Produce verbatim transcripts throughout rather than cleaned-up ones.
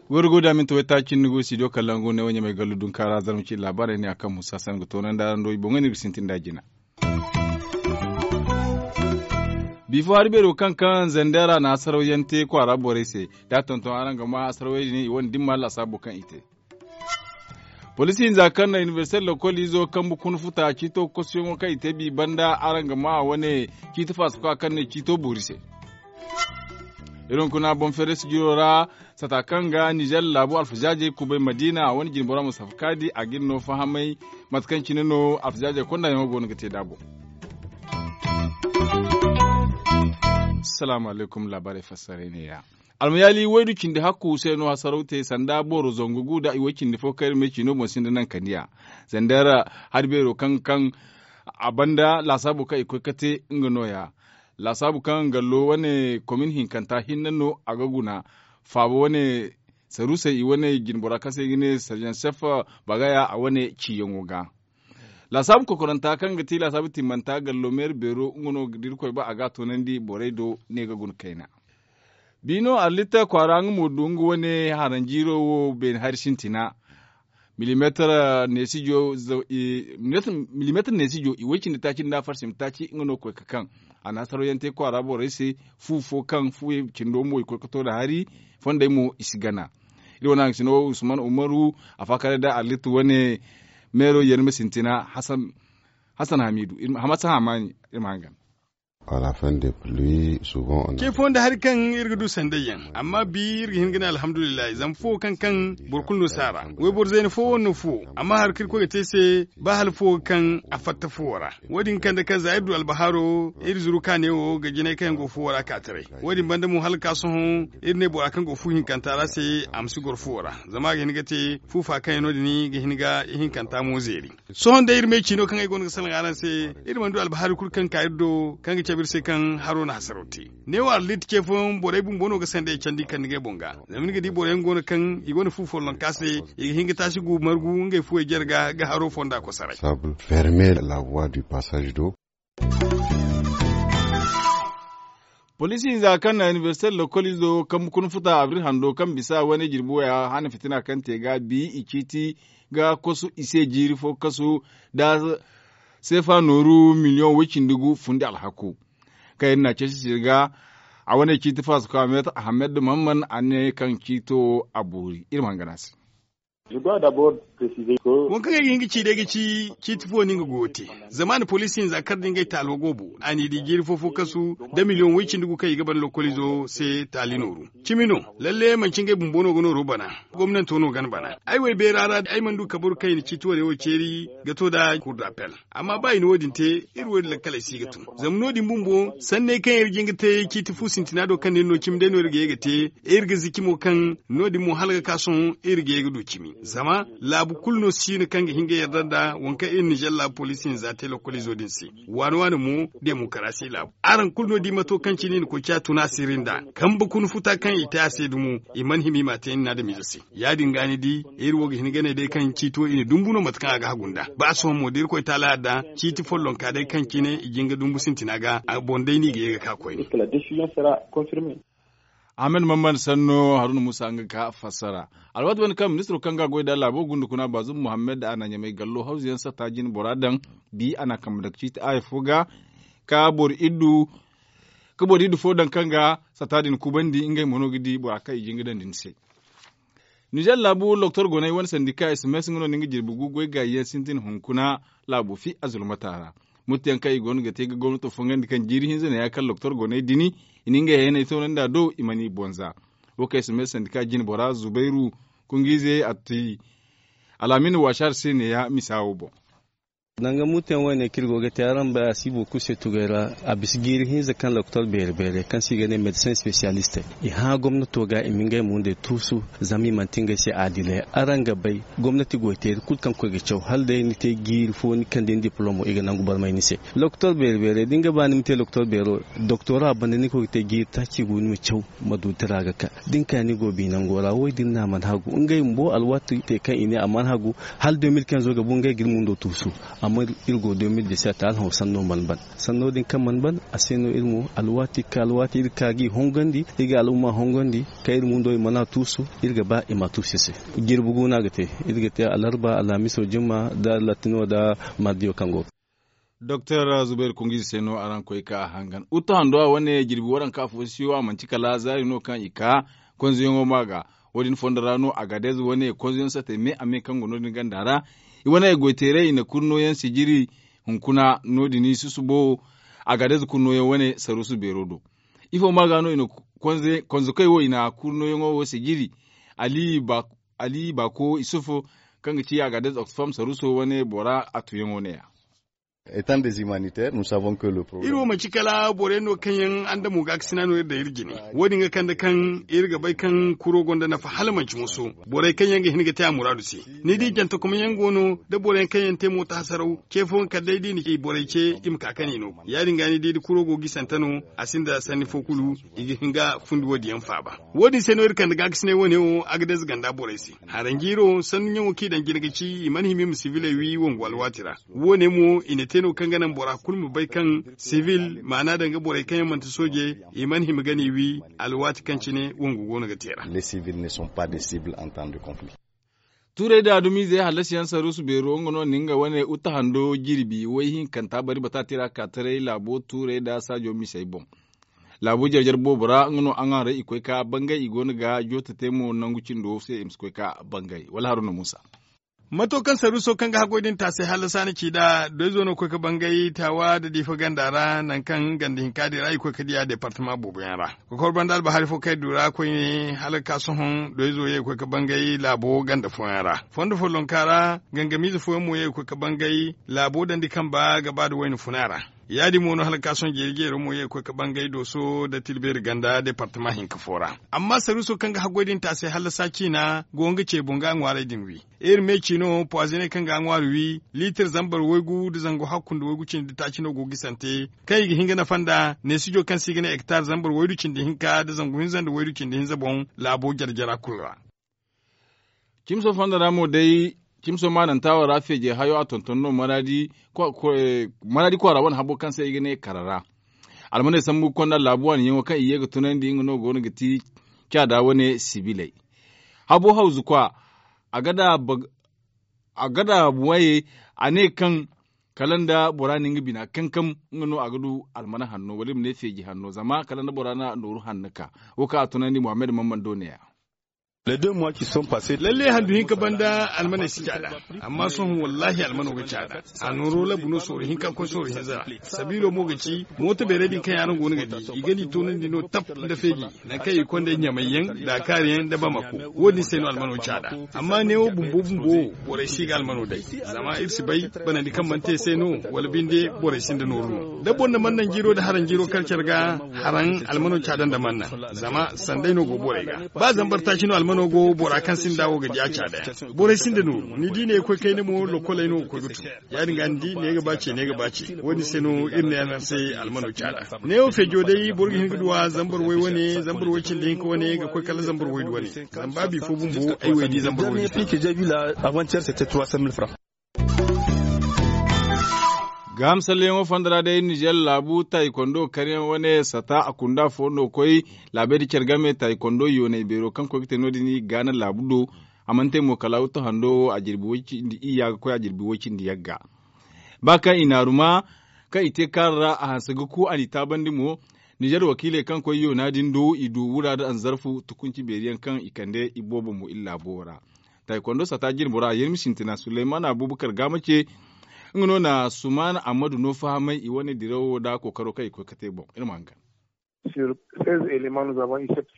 Wari go da minti waytaaci ni go studio kalangu ne wo ɲamay gallu dunkaara zarma ci laabaarey ne a kaŋ musa san ga toonandi araŋ do i boŋey no iri ga sintin nd'a jina. Bifo hari beero kaŋ kaŋ zandera na hasaraw yaŋ te kwaara borey se da a tonton araŋ ga ma hasarawey din i wane dimma lasaabo kaŋ i te. Poliisi hinza kaŋ na inibersite lokol izo kambe kuna futa ciito kosuyaŋo kaŋ i te bi banda araŋ ga ma a wane ciiti faasakwa kaŋ ne ciito boori se. Iri hunkuna boŋ feere sijiro ra sata kaŋ ga nizer laabu alfazaazey kubay madiina a wane jinbora mustafa kaadi a ga iri no fahamay mate kaŋ cine no alfazaazey kondayaŋo go no ga te nd'a boŋ. Salaamu alaykum laabaarey fassaray neeya. Almayaali waydu cindi hakku se no hasaraw te sanda boro zangu gu nda i way cindi fo kaŋ iri me ciino boŋ sinda naŋ kaniya. Zandar hari beero kaŋ kaŋ a banda laasaabo kaŋ i koy ka te nga nooya. Laasaabu kaŋ gallo wane komin hinkanta hinne no a ga guna. Faaba wane sarusey i wane jinbora kaŋ se i ga ne sarjan sef bagaya a wane ciyaŋo ga. Laasaabu kokoranta kaŋ ga ti laasaabu timmanta gallo meeri beero nga no da irkoy ba a ga a toonandi borey do ne ga guna kayna. Biino arlitta kwaara nga mo du nga wane haranjiiro wo beene hari sintina. Milimeetar neesijo i way cindi taaci nda farsim taaci nga no koy ga kaŋ a na hasaraw yaŋ te kwaara borey se. Fu fo kaŋ fu cindo mo i koy ga to nda hari fondey mo i si gana. Iri wane haŋ sino usman umaru a faakare nda arlitta wane meero yarma sintina. Hasan hamidu hamas hamani iri ma hangan. Wala fande pluwi suban on. Ce fo nda hari kaŋ iri ga du sanday yaŋ amma bi iri ga hin ga ne alhamdulillahi zama fuwo kaŋ kaŋ boro kulu no si a ra. Wayboro zayna fo wane no fuwo amma hari kaŋ iri koy ga te se ba hala fuwo ga kaŋ a fatta fuwo ra. Wo- din ga kande kaŋ za iri du albahaaro iri zuru kaane wo ga jinay kaŋ yaŋ go fuwo ra ka taray. Wo- din banda mo hala ga ka sohõ iri ne bora kaŋ go fu hinkanta ra se a ma si goro fuwo ra zama a ga hin ga te fu fa kaŋ yaŋ no- din ga hin ga ihinkanta mo zeeri. Sohõ day iri me ciino kaŋ ay goono ga salaŋ araŋ se. Iri mana du albahaari kulu kaŋ ka iri do kaŋ ga cabe iri se kaŋ haro na hasaraw te. Neewo arlit ce fooyaŋ borey bumbo no ga sanday candi kande ngey boŋ ga. Zama ni ga di boro yaŋ goono kaŋ i gonda fu follonka se i ga hin ga taasi gu margu ngey fuwey jare ga ga haro fonda kosaray. Sable ferme la voie du passage do. Poliisi hinza kaŋ na inibersite lokol izo kambe kuna futa abril hando kaŋ bisa wane jirbi waya hana fitina kaŋ te ga bi i ciiti ga kosu i se jiiri fo kasu da seefa nooru miliyoŋ way cindi gu fundi alhaku. Kaŋ iri na ceeci siri ga a wane ciiti faasako amet ahamed mamman a ne kaŋ ciito wo a boori iri ma hangan a se. Wo kaŋ ay ga hin ga ci day ga ci ciiti fo no nga go ga te. Zama a na poliisi hinza kar da ngey taalo go boori a n'i di jiiri fo fo kasu da miliyoŋ way cindi gu kaŋ i ga ban lokolizo se taali nooru. Cimi no. Lalle manci ngey bumbo no ga nooro bana. Gomnanto no ga ni bana ay wo ay beera ra ay mana du kabaru kaŋ i na ciiti wane wo ceeri ga to nd'a kurdapel. Amma ba i na wo- din te iri wo- din lakkaley si ga tun. Zama no- din bumbo sanney kaŋ iri ga hin ga te ciiti fu sintina do kaŋ no iri no cimi day no iri ga ye ga te. Iri ga ziki mo kaŋ no- din mo hala ga ka sohõ iri ga ye ga du cimi zama laabu kulu no si no kaŋ ga hin ga yarda nda waŋ kaŋ iri nizer laabu poliisi hinza te lokolizo din se. Waani waani mo demokarasi laabu araŋ kulu no di mato kaŋ cine i na koy ciya tuna siri nda kambe kuna futa kaŋ i te a se dumo. I mana hima i m'a te ni na adamize se. Ya- din ga ni di iri wo ga hin ga ne day kaŋ ciiti wo i na dumbu no mate kaŋ a ga hagu nda ba sohõ mo da irkoy taala yadda ciiti follonka day kaŋ cine i jin ga dumbu sintina ga a boŋ day no i ga ye ga ka koyne. Ahmed mamman sanno haruna musa nga ga ka fassara. Alwaati wane kaŋ ministiro kaŋ ga goy da laabo gunda kuna baazum muhammad a na ɲamay gallo hawzu yaŋ satta jine bora daŋ. Bi a na kambe daŋ ciiti aya fo ga ka boro iddu ka boro iddu fo daŋ kaŋ ga satta din kubandi ngey mo no ga di bora kaŋ i jin ga daŋ din se. Nizer laabu loktor goney wane sandika sms nga no ni nga jirbi gu goy gaayi yaŋ sintin hunkuna laabo fi a zulmata ra. Muttu yaŋ kaŋ i goono ga te ga gomnato fongandi kaŋ jiiri hinza neeya kaŋ loktor goney dini i na ngey hayaney toonandi a do i mana i bonza. Wo kaŋ sms sandika jine bora zubairu kungiize a ti alaamin waasar se neeya misa wo boŋ. Danga muteyaŋ wayne kaŋ iri go ga te araŋ bay a si boro kulu se tugay ra. A bisa jiiri hinza kaŋ doktor beere beere kaŋ se i ga ne medecin specialiste, i hã gomnato ga i ma ngey mo ndey tuusu. Zama i manti ngey se aadiley. Araŋ ga bay gomnati goyteeri kulu kaŋ koy ga caw hala day ni te jiiri fo ni kande ni dipolomo i ga nangu barmay ni se. Doktor beere beere da ni ga ba ni ma te doktor beero, doktora banda ni koy ga te jiiri taaci gu ni ma caw. Ma du tira ga ka da ni ka ni go bi nango ra wo- din no a mana hagu ngey bumbo alwaati te kaŋ i ne a mana hagu. Hala deux mille quinze ga bu ngey ga iri mundo tuusu. Amma iri go deux mille dix-sept hala hõ sanno mana ban. Sanno din kaŋ mana ban a se no iri mo alwaati ga ka alwaati iri ga ka ga i hongandi iri ga al'umma hongandi. Kaŋ iri mundo i mana a tuusu iri ga ba i ma a tuusu i se. Jirbi gu no a ga te. Iri ga te alarba alhamiso jumma nda latino nda mardiyo kaŋ go ga. Doktor zubayru kungu ize se no araŋ koy ka a hangan utu hando a wane jirbi waranka fo siyo a manti kala zaari no kaŋ i ka konzoyaŋo ma ga. Wo- din fondo ra no agadez wane konzoyaŋ sate me a me kaŋ go no- din ganda ra. I wane goyteeray i na kurnoyaŋ sijiri hunkuna no- din susubo agadez kurnoyaŋ wane saruusu beero do. Ifo ma ga no i na konzokoy wo i na kurnoyaŋo wo sijiri. Ali baako isuf kaŋ ga ci agadez oxfam saruuso wane bora a tuyaŋo ne- ya. Iri wo manti kala boro yaŋ no kaŋ yaŋ andamo gaakasina no iri daŋ iri jine. Wo- din ga kande kaŋ iri ga bay kaŋ kuro gonda nafa hala manti moso. Borey kaŋ yaŋ ga hin ga te a muraadu se ni di jantakomyaŋ go no da boro yaŋ kaŋ yaŋ te mooto hasaraw ce fooyaŋ kala day da i na borey ce i ma ka kani no. Ya- din ga ni di da kuro go ga i sante no a sinda sanni fo kulu. I ga hin ga fundi wo- din yaŋ faaba. Wo- din se no iri kande gaakasinay wane wo agadez ganda borey se. Haranjiiro sannu ɲaŋo kaŋ i daŋ jine ga ci i mana hima i ma siviley wi wangu alwaati ra. Wo- ne mo i na te no kaŋ ga naŋ bora kulu ma bay kaŋ sivil maana daŋ ga borey kaŋ yaŋ manti soojey i mana hima ga ni wi alwaati kaŋ cine wangu go no ga te ra. Tuurey da dumizey hallasiyaŋ saruusu beero nga no na nga wane uta hando jirbi way hinkanta bari bata tira ka taray laabo tuurey da saajo misey boŋ. Laabu jare jare boobo ra nga no a ŋwaaray i koy ka bangay i go no ga jooto te mo nangu cindo se i ma si koy ka bangay wala haruna muusa. Mato kaŋ saruuso kaŋ ga haggoy din taasay hala saana ci nd'a doyzo no koy ga bangay taawa nda diifa ganda ra nangu kaŋ ganda hinka din ra i koy ga diya deepartama boobo yaŋ ra. Ga kor banda albahari fo kaŋ ay du ra koyne hala ga ka sohõ doyzo ye ga koy ga bangay laabo ganda fooyaŋ ra. Fondo follonka ra gangamiize fooyaŋ mo ye ga koy ga bangay laabo dandi kamba ga ba nda wayna funa ra. Ya- din mo no hala ga ka sohõ jeeri jeero mo ye ga koy ga bangay dooso nda tilbeeri ganda deepartama hinka fo ra. Amma saruuso kaŋ ga haggoy din taasay hallasa ciina go nga ce boŋ ga a ŋwaaray din wi. Iri me ciino puwazine kaŋ ga a ŋwaari wi liitir zambar waygu nda zangu hakku nda waygu cindi taaci no go ga i sante kaŋ i ga hin ga nafa nda neesijo kaŋ se i ga ne ektar zambar waydu cindi hinka nda zangu hinza nda waydu cindi hinza boŋ. Laabo jare jara kulu ra. Cimso fonda ra mo day cimso maananta wo ra feeje hayo a tonton no maradi kwaara wane habo kaŋ se i ga ne kara ra. Almaney sambu konda laabu waani yaŋo kaŋ i ye ga tunandi nga no go no ga ti caada wane sibiley. Habo hawzu kwa a ga da buwaye a ne kaŋ kala nda bora na nga bina kankam nga no a ga du almana hanno wala i ma ne feeji hanno zama kala nda bora na nooru hanno ka. Wo kaŋ a tunandi muhammad mamman do ne ya. Lalle handu hinka banda almaney si caada. Amma sohõ wallahi almano ga caada. A nooro labu no sooro hinka koy sooro hinza ra. Sabiilo mo ga ci mooto beerey din kaŋ yaŋ araŋ go no ga di i ga ni toonandi no tap nda feeji. Nangu kaŋ i ga konda ɲamay yaŋ nda a kaari yaŋ nda bamako. Wo- din se no almano caada. Amma neewo bumbo bumbo wo borey si ga almano day. Zama iri si bay banandi kaŋ mana te se no wala binde borey sinda nooru no da boro na mana naŋ jiiro nda haraŋ jiiro kar care ga. Haraŋ almano caada nda mana naŋ zama sanday no go borey ga. Ba zambar taaci no almano go bora kaŋ sinda wo ga di a caada yaŋ. Borey sinda nooru ni di ne koy kayna mo lokoley no ga koy ga tun. Ya- din ga ni di ne ga ba ce ne ga ba ce wo- din se no iri ne yaŋ se almano caada. Neewo feejo day boro ga hin ga duw'a zambar way wane zambar way cindi hinka wane ga koy kala zambar waydu wane. Zama ba bifo bumbo ay wo ay di zambar waydu. Gaaham salleyaŋo fonda ra day nizer laabu taayi kondo karyaŋ wane sata a kunda fo no koy. Laabey nda care game taayi kondo yoonay beero kaŋ koy ga te no- din i ga gaana laabu do. A mana te mo kala wuttu hando wo a jirbi way cindi iyya ga koy a jirbi way cindi yagga. Ba kaŋ i naaru ma kaŋ i te kaara ra a hanse ga ku a n'i taabandi mo. Nizer wakiiley kaŋ koy yoona din do i du wura nda anzarfu tukunci beeri yaŋ kaŋ i kande i boobo mo iri laabo wo ra. Taayi kondo sata jirbo ra yermi sintina suleyman abubakar gaama ce. Nga no na suman ammadu no fahamay i wane dirawo nda kookaro kaŋ i koy ga te boŋ iri ma hangan.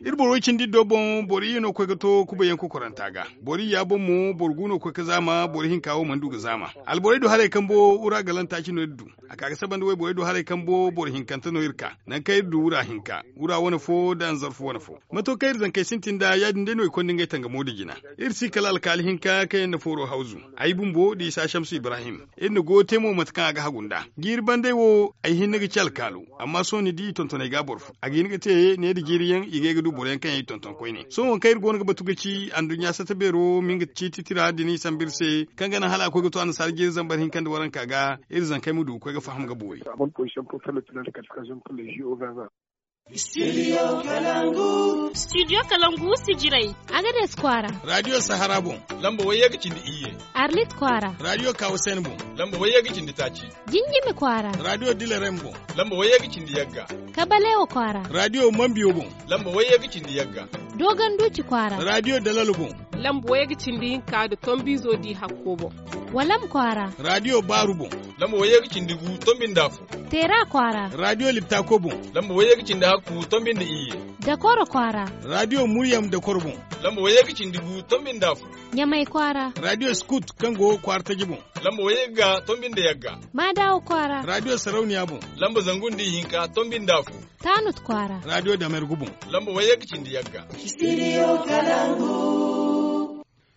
Iri boro way cindi iddo boŋ boro iyye no koy ga to kubayyaŋ kokoranta ga. Boro iyya boŋ mo boro gu no koy ga zaama, boro hinka wo mana du ga zaama. Alborey du haray kambo wura galanta ci no iri du. A ka ga saba nda wayborey du haray kambo boro hinkante no iri ka, nangu kaŋ iri du wura hinka, wura wane fo nda nzarfu wane fo. Mato kaŋ iri zankey sintin nd'a, ya- din day no i konda ngey tangamo nda jina. Iri si kala alkaali hinka kaŋ yaŋ na fooro hawzu, ay bumbo nda isa shamsu ibrahim. Iri na goyo te mo mate kaŋ a ga hagu nd'a. Jiiri banday wo, ay hinne ga ci alkaalo, amma sohõ ni di i tontonay ga a boro fo. A ga hin ga te ne nda jiiri yaŋ i ga ye ga du boro yaŋ kaŋ yaŋ i tonton koyne. Sohõ waŋ kaŋ iri go no ga batu ga ci anduɲɲa sata beero ma nga ciiti tira din i sambu iri se, kaŋ ga naŋ hala a koy ga to annasaara jiiri zambar hinka nda waranka ga, iri zankey ma du ga koy ga faham ga boori. Studio kalangu. Studio kalangu sijirey. Agades kwaara. Radio sahara boŋ, lamba wayye ga cindi iyye. Arlit kwaara. Radio kawasen boŋ, lamba wayye ga cindi taaci. Jinjimi kwaara. Radio dilarem boŋ, lamba wayye ga cindi yagga. Kabalewa kwaara. Radio mambiyo boŋ, lamba wayye ga cindi yagga. Dogon duci kwaara. Radio dalalo boŋ, lamba wayye ga cindi hinka nda tombizo di hakko boŋ. Walam kwaara. Radio baaru boŋ, lamba wayye ga cindi gu tombi nda afo. Teera kwaara. Radio liptako boŋ, lamba wayye ga cindi hakku tombi nda iyye. Dakoro kwaara. Radio muryam dakoro boŋ, lamba wayye ga cindi gu tombi nda afo. Ɲamay kwaara. Radio skut kaŋ go kwaara taji boŋ, lamba wayye ga tombi nda yagga. Maadawa kwaara. Radio sarauniya boŋ, lamba zangu nda ihinka tombi nda afo. Tanut kwaara. Radio damergu boŋ, lamba wayye ga cindi yagga.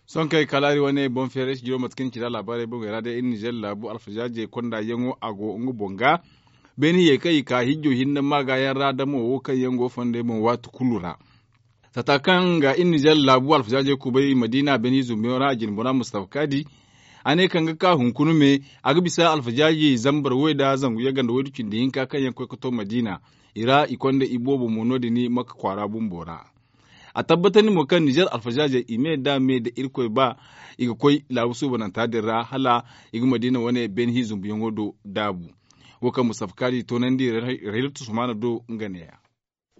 Sohõ kaŋ ay kalaari wane boŋ feeray si jiro mate kaŋ ni ci nd'a laabaarey boŋey ra day iri nizer laabu alfazaajey konda yaŋo a go nga boŋ ga. Beene hiyey kaŋ i ka hijjo hinne maaga yaŋ ra damo wo kaŋ yaŋ go fondey boŋ waati kulu ra. Sata kaŋ ga iri nizer laabu alfazaajey kubay madiina beene hizumbiyaŋo ra a jine bora mustafa kaadi. A ne kaŋ ga ka hunkuna me a ga bisa alfazaajey zambar way nda zangu yagga nda waydu cindi hinka kaŋ yaŋ koy ga to madiina. I ra i konda i boobo mo no- din makka kwaara bumbo ra. A tabbatandi mo kaŋ nizer alfazaazey i me nda me nda irkoy ba i ga koy laabu suubananta din ra hala i ga madiina wane beene hi zumbuyaŋo do daabu. Wo kaŋ mustafa kaadi toonandi raylatu sumaana do nga neeya.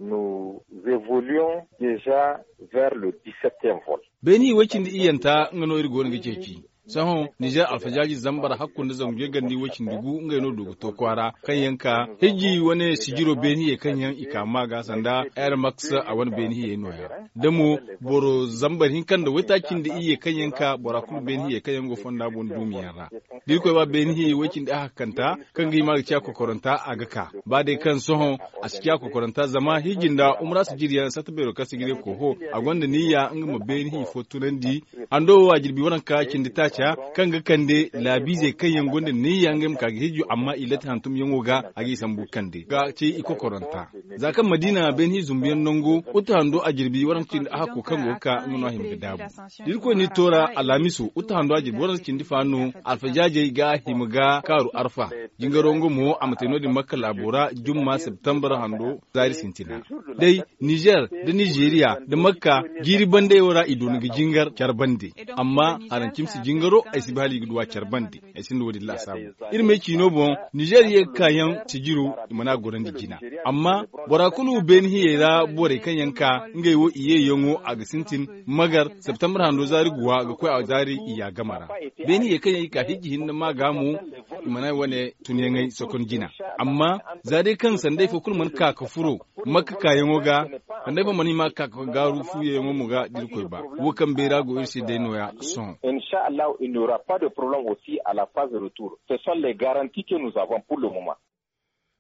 Nous évoluons déjà vers le dix-septième vol. Beene hi way cindi iyyanta nga no iri go no ga ceeci. Sohõ nizer alfazaaji zambar hakku nda zangu jagandi way cindi gu ngey no du ga to kwaara kaŋ yaŋ ka hijji wane sijiro beene hiyey kaŋ yaŋ i ka maa ga sanda air max a wane beene hiyey nooya. Da mo boro zambar hinka nda waytaaci nda iyye kaŋ yaŋ ka bora kulu beene hiyey kaŋ yaŋ go fonda boŋ duumi yaŋ ra. Da irkoy ba beene hiyey way cindi a hakkanta kaŋ ga hima ga ciya kokoranta a ga ka ba day kaŋ sohõ a si ciya kokoranta zama hijji nda umra sijiri yaŋ sata beero kaŋ sijiri koho a gonda niyya nga ma beene hi fo tunandi. Hando wo a jirbi waranka cindi taaca kaŋ ga kande laabiizey kaŋ yaŋ gonda niyya ngey ma ka ga hijju amma i latti hantumyaŋo ga a ga i sambu kande ga ci i kokoranta. Za kaŋ madiina beene hi zumbuyaŋ nango uta hando a jirbi waranka cindi a hakko kaŋ go ga ka nga no a hima ga daabu. Da irkoy ni toora alhamiso uta hando a jirbi waranka cindi fa no alfazaazey ga hima ga kaaru arfa. Jingaro nga mo a ma te no- din makka laabo ra jumma septembar hando zaari sintina. Day nizer da nizeriya da makka jiiri bandayo ra i doona ga jingar care bande. Amma harancimi si jingaro ay si ba hala i ga duw'a care bande. Ay sinda wo- din laasaabu iri m'ay ciino boŋ nizer ye ga ka yaŋ sijiro i mana gorandi jina. Amma bora kulu beene hiyey ra borey kaŋ yaŋ ka ngey wo i yeeyaŋo a ga sintin magar septembar hando zaari guwa ga koy a zaari iyya game ra. Beene hiyey kaŋ yaŋ i ka hijji hinne ma ga mo i mana wane tunyaŋey sokon jina. Amma za day kaŋ sanday fo kulu mana ka ga furo makka kaayaŋo ga sanday fo mana hima ga ka ga gaaru fuuyaŋo mo ga da irkoy ba. Wo kaŋ beera go iri se day nooya sohõ. Insha allahu il n'y aura pas de problème aussi à la phase retour. Ce sont les garanties que nous avons pour le moment.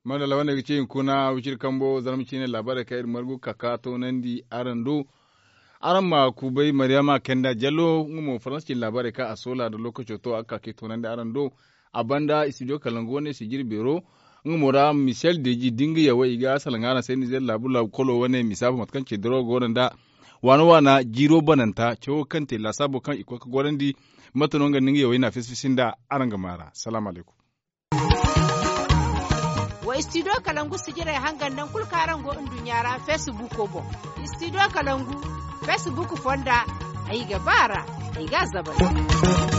Madalla wane ga ci hunkuna wiciri kambo zarma ciine laabaarey kaŋ iri margu ga ka ga toonandi araŋ do. Araŋ ma kubay mariyama kenda jallo nga mo faransa ciine laabaarey kaŋ a soola nda lookaco to a ga ka ga ay toonandi araŋ do. A banda studio kalangu wane sijiri beero nga mo ra michel deji da nga yawey i ga salaŋ araŋ se nizer laabu laabu kolo wane misa fo mate kaŋ ce dirawo go no nda waana waana jiiro bananta cawo kaŋ te laasaabo kaŋ i koy ga gorandi. Mate no nga nda nga yawey na fisi fisi nda araŋ ga maa ra salaamu alaykum. Wa studio kalangu sijirey hangan naŋ kulu kaŋ araŋ go nduɲɲa ra facebook boŋ. Studio kalangu facebook fonda ay ga ba ra ay ga a zabari.